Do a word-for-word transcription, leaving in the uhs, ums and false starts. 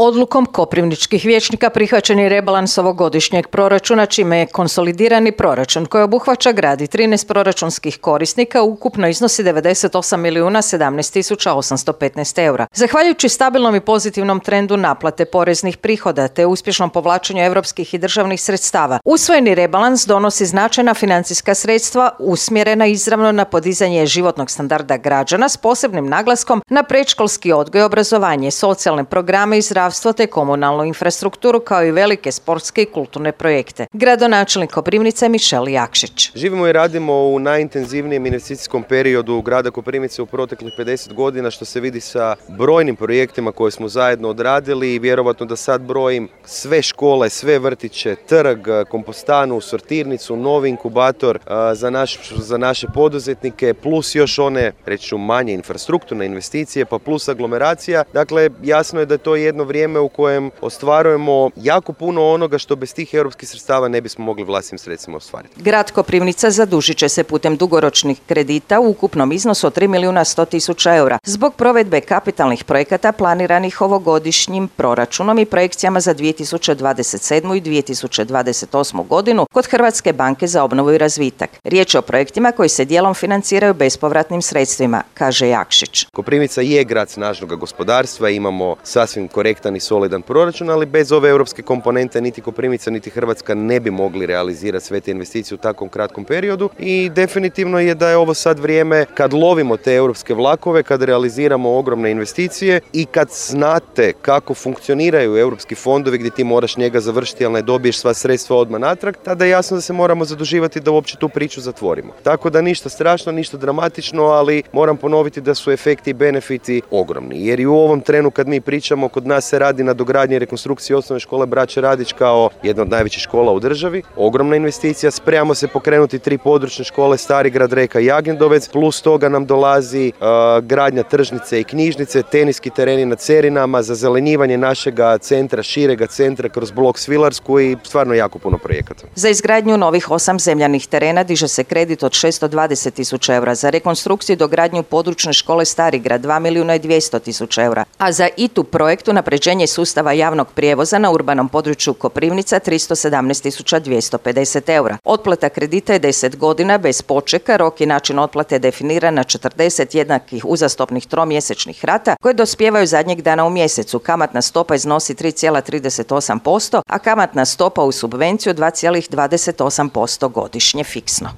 Odlukom koprivničkih vijećnika prihvaćen je rebalans ovogodišnjeg proračuna, čime je konsolidirani proračun koji obuhvaća grad i trinaest proračunskih korisnika ukupno iznosi devedeset osam milijuna sedamnaest tisuća osamsto petnaest eura. Zahvaljujući stabilnom i pozitivnom trendu naplate poreznih prihoda te uspješnom povlačenju europskih i državnih sredstava, usvojeni rebalans donosi značajna financijska sredstva usmjerena izravno na podizanje životnog standarda građana s posebnim naglaskom na predškolski odgoj i obrazovanje, socijalne programe i zdravstvo te komunalnu infrastrukturu kao i velike sportske i kulturne projekte. Gradonačelnik Koprivnice Mišel Jakšić. Živimo i radimo u najintenzivnijem investicijskom periodu grada Koprivnice u proteklih pedeset godina, što se vidi sa brojnim projektima koje smo zajedno odradili i vjerovatno da sad brojim sve škole, sve vrtiće, trg, kompostanu, sortirnicu, novi inkubator za, naš, za naše poduzetnike, plus još one, reći ću, manje infrastrukturne investicije, pa plus aglomeracija. Dakle, jasno je da je to jedno vrijeme u kojem ostvarujemo jako puno onoga što bez tih europskih sredstava ne bismo mogli vlastitim sredstvima ostvariti. Grad Koprivnica zadužit će se putem dugoročnih kredita u ukupnom iznosu od tri milijuna sto tisuća eura zbog provedbe kapitalnih projekata planiranih ovogodišnjim proračunom i projekcijama za dvije tisuće dvadeset sedmu. i dvije tisuće dvadeset osmu. godinu kod Hrvatske banke za obnovu i razvitak. Riječ je o projektima koji se dijelom financiraju bespovratnim sredstvima, kaže Jakšić. Koprivnica je grad snažnog gospodarstva, imamo sasvim korektan i solidan proračun, ali bez ove europske komponente niti Koprivnica niti Hrvatska ne bi mogli realizirati sve te investicije u takvom kratkom periodu i definitivno je da je ovo sad vrijeme kad lovimo te europske vlakove, kad realiziramo ogromne investicije i kad znate kako funkcioniraju europski fondovi gdje ti moraš njega završiti, ali ne dobiješ sva sredstva odmah natrag, tada je jasno da se moramo zaduživati da uopće tu priču zatvorimo. Tako da ništa strašno, ništa dramatično, ali moram ponoviti da su efekti i benefiti ogromni. Jer i u ovom trenu kad mi pričamo, kod nas se radi na dogradnji i rekonstrukciji osnovne škole Braće Radić kao jedna od najvećih škola u državi. Ogromna investicija, spremamo se pokrenuti tri područne škole, Stari grad, Reka i Agendovec, plus toga nam dolazi uh, gradnja tržnice i knjižnice, teniski tereni na Cerinama, zazelenjivanje našega centra, širega centra kroz blok Svilarsku i stvarno jako puno projekata. Za izgradnju novih osam zemljanih terena diže se kredit od šesto dvadeset tisuća eura, za rekonstrukciju i dogradnju područne škole Stari grad dva milijuna i dvjesto tisuća eura, a za I T U projekt unapređenje sustava javnog prijevoza na urbanom području Koprivnica tristo sedamnaest tisuća dvjesto pedeset eura. Otplata kredita je deset godina bez počeka, rok i način otplate je definiran na četrdeset jednakih uzastopnih tromjesečnih rata koje dospijevaju zadnjeg dana u mjesecu. Kamatna stopa iznosi tri zarez trideset osam posto, a kamatna stopa u subvenciju dva zarez dvadeset osam posto godišnje fiksno.